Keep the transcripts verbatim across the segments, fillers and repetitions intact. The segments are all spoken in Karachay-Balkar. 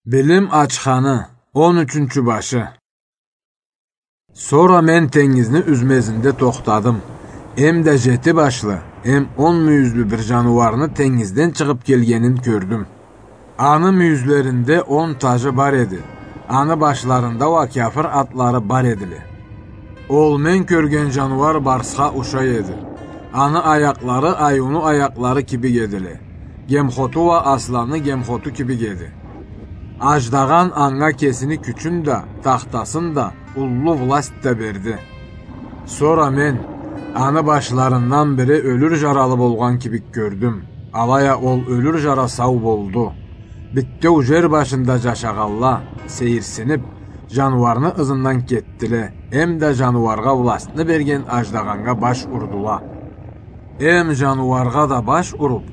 Билим ачханы, он ючюнчю башы. Сора мен тенгизни юзмезинде тохтадым. Эм да жети башлы, эм он мюйюзлю бир жаныуарны тенгизден чыгъып келгенин кёрдюм. Аны мюйюзлеринде он тажы бар эди. Аны башларында уа кяфыр атлары бар эдиле. Ол мен кёрген жаныуар барсха ушай эди. Аны аякълары айыуну аякълары кибик эдиле. Гемхоту уа асланны гемхоту кибик эди. Аждагъан анга кесини кючюн да, тахтасын да, уллу власть да берди. Сора мен аны башларындан бири ёлюр жаралы болгъан кибик кёрдюм. Алай а ол ёлюр жара сау болду. Битеу жер башында жашагъанла, сейирсинип, жаныуарны ызындан кетдиле, эм да жаныуаргъа властны берген аждагъаннга баш урдула. Эм жаныуаргъа да баш уруп: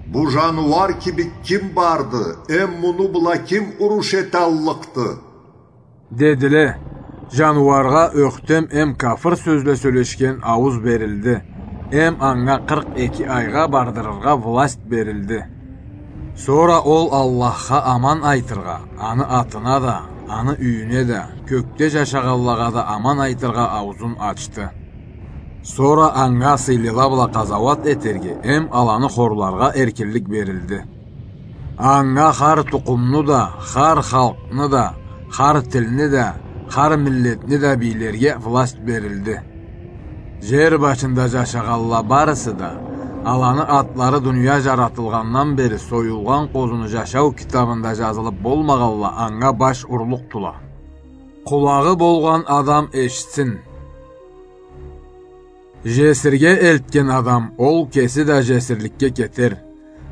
«Бу жаныуар кибик ким барды, эм муну бла ким уруш эталлыкъды?» — дедиле. Жаныуаргъа ёхтем эм кафыр сёзле сёлешген аууз берилди. Эм анга къыркъ эки айгъа бардырыргъа власть берилди. Сора ол Аллахха аман айтыргъа, аны атына да, аны юйюне да, кёкде жашагъанлагъа да аман айтыргъа ауузун ачды. Сора анга сыйлыла бла къазауат этерге эм аланы хорларгъа эркинлик берилди. Анга хар тукъумну да, хар халкъны да, хар тилни да, хар миллетни да бийлерге власть берилди. Жер башында жашагъанла барысы да, аланы атлары дуния жаратылгъандан бери союлгъан къозуну жашау китабында жазылып болмагъанла, анга баш урлукъдула. Къулагъы болгъан адам эшитсин. Жесирге элтген адам, ол кеси да жесирликге кетер.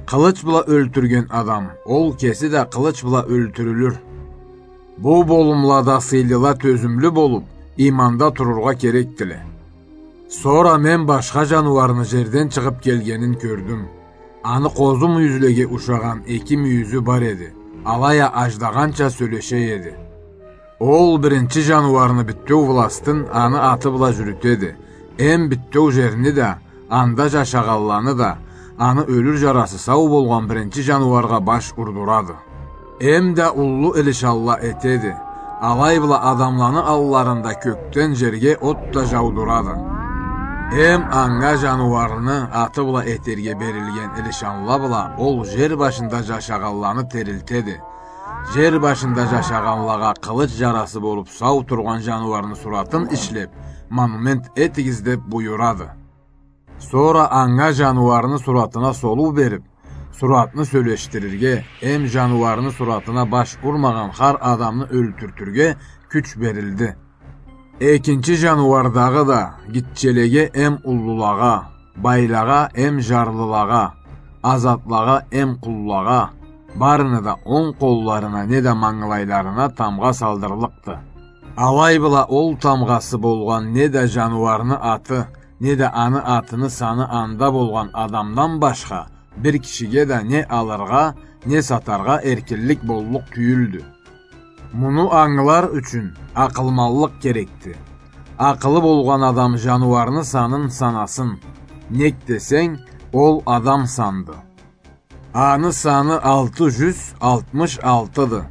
Къылыч бла ёлтюрген адам, ол кеси да къылыч бла ёлтюрюлюр. Бу болумлада сыйлыла тёзюмлю болуп, иманда турургъа керекдиле. Сора мен башха жаныуарны жерден чыгъып келгенин кёрдюм. Аны къозу мюйюзлеге ушагъан эки мюйюзю бар эди, алай а аждагъанча сёлеше эди. Ол биринчи жаныуарны битеу властын аны аты бла жюрютеди, эм битеу жерни да, анда жашагъанланы да, аны ёлюр жарасы сау болгъан биринчи жаныуаргъа баш урдурады. Эм да уллу илишанла этеди. Алай бла адамланы алларында кёкден жерге от да жаудурады. Эм анга жаныуарны аты бла этерге берилген илишанла бла ол жер башында жашагъанланы терилтеди. Жер башында жашагъанлагъа къылыч жарасы болуп сау тургъан жаныуарны суратын ишлеп, монумент этигиз деп буюрады. Сора анга жаныуарны суратына солуу берип, суратны сёлешдирирге, эм жаныуарны суратына баш урмагъан хар адамны ёлтюртюрге кюч берилди. Экинчи жаныуардагъы да гитчелеге эм уллулагъа, байлагъа эм жарлылагъа, азатлагъа эм къуллагъа, барыны да онг къолларына неда мангылайларына тамгъа салдырлыкъды. Алай бла ол тамгъасы болгъан неда жаныуарны аты, неда аны атыны саны анда болгъан адамдан башха бир кишиге да не алыргъа, не сатаргъа эркинлик боллукъ тюйюлдю. Муну ангылар ючюн акъылманлыкъ керекди. Акъылы болгъан адам жаныуарны санын санасын. Нек десенг, ол адам санды. Аны саны алты жюз алтмыш алтыды.